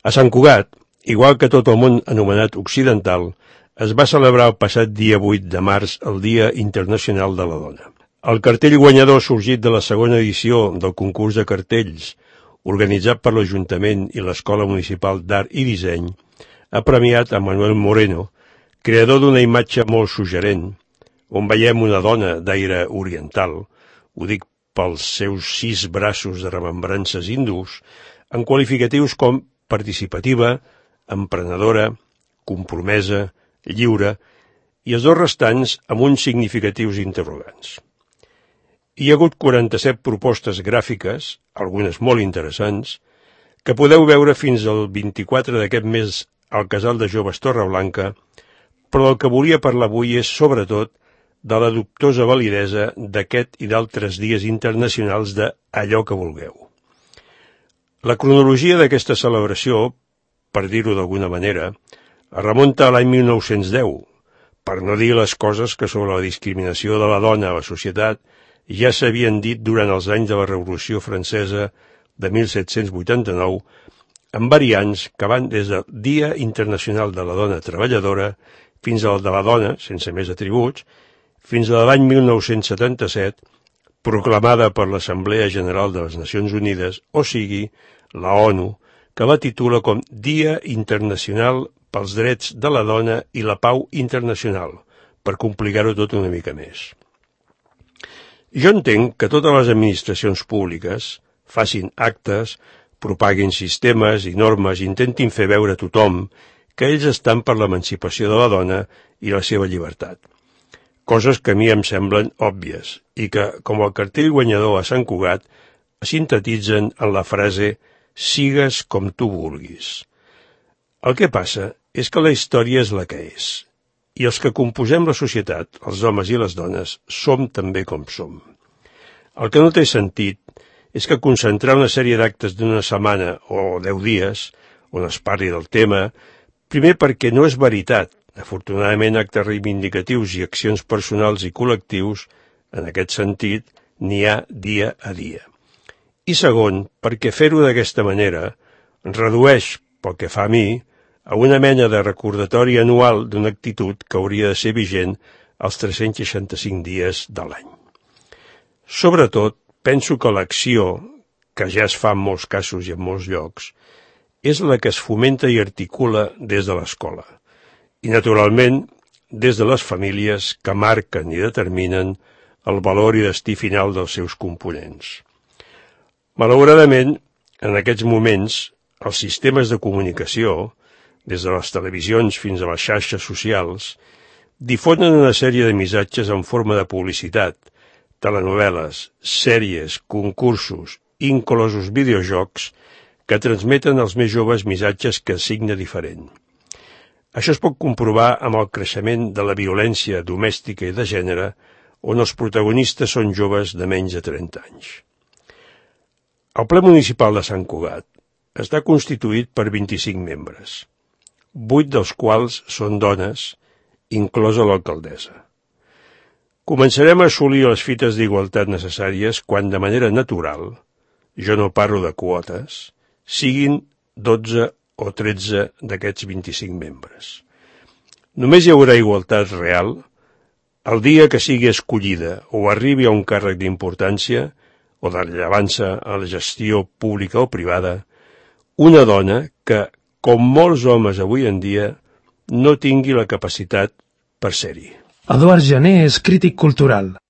A Sant Cugat, igual que tot el món anomenat occidental, es va celebrar el passat dia 8 de març el Dia Internacional de la Dona. El cartell guanyador sorgit de la segona edició del concurs de cartells, organitzat per l'Ajuntament i l'Escola Municipal d'Art i Disseny, ha premiat a Manuel Moreno, creador d'una imatge molt suggerent, on veiem una dona d'aire oriental, ho dic pels seus 6 braços de remembrances hindús, en qualificatius com participativa, emprenedora, compromesa, lliure, i els dos restants amb uns significatius interrogants. Hi ha hagut 47 propostes gràfiques, algunes molt interessants, que podeu veure fins al 24 d'aquest mes al Casal de Joves Torreblanca, però el que volia parlar avui és, sobretot, de la dubtosa validesa d'aquest i d'altres dies internacionals de allò que vulgueu. La cronologia d'aquesta celebració, per dir-ho d'alguna manera, es remunta a l'any 1910, per no dir les coses que sobre la discriminació de la dona a la societat ja s'havien dit durant els anys de la Revolució Francesa de 1789, amb variants que van des del Dia Internacional de la Dona Treballadora fins al de la dona, sense més atributs, fins a l'any 1977, proclamada per l'Assemblea General de les Nacions Unides, o sigui, la ONU, que la titula com Dia Internacional pels Drets de la Dona i la Pau Internacional, per complicar-ho tot una mica més. Jo entenc que totes les administracions públiques facin actes, propaguin sistemes i normes i intentin fer veure a tothom que ells estan per l'emancipació de la dona i la seva llibertat. Coses que a mi em semblen òbvies i que, com el cartell guanyador a Sant Cugat, sintetitzen en la frase «sigues com tu vulguis». El que passa és que la història és la que és, i els que composem la societat, els homes i les dones, som també com som. El que no té sentit és que concentrar una sèrie d'actes d'una setmana o 10 dies, on es parli del tema, primer perquè no és veritat. Afortunadament, actes reivindicatius i accions personals i col·lectius, en aquest sentit, n'hi ha dia a dia. I segon, perquè fer-ho d'aquesta manera redueix, pel que fa a mi, a una mena de recordatori anual d'una actitud que hauria de ser vigent els 365 dies de l'any. Sobretot, penso que l'acció, que ja es fa en molts casos i en molts llocs, és la que es fomenta i articula des de l'escola. I, naturalment, des de les famílies que marquen i determinen el valor i destí final dels seus components. Malauradament, en aquests moments, els sistemes de comunicació, des de les televisions fins a les xarxes socials, difonen una sèrie de missatges en forma de publicitat, telenovel·les, sèries, concursos, inclosos videojocs, que transmeten als més joves missatges que signa diferent. Això es pot comprovar amb el creixement de la violència domèstica i de gènere, on els protagonistes són joves de menys de 30 anys. El ple municipal de Sant Cugat està constituït per 25 membres, 8 dels quals són dones, inclosa l'alcaldessa. Començarem a assolir les fites d'igualtat necessàries quan, de manera natural, jo no parlo de quotes, siguin 12 o 13 d'aquests 25 membres. Només hi haurà igualtat real el dia que sigui escollida o arribi a un càrrec d'importància o de rellevància a la gestió pública o privada, una dona que, com molts homes avui en dia, no tingui la capacitat per ser-hi. Eduard Jané és crític cultural.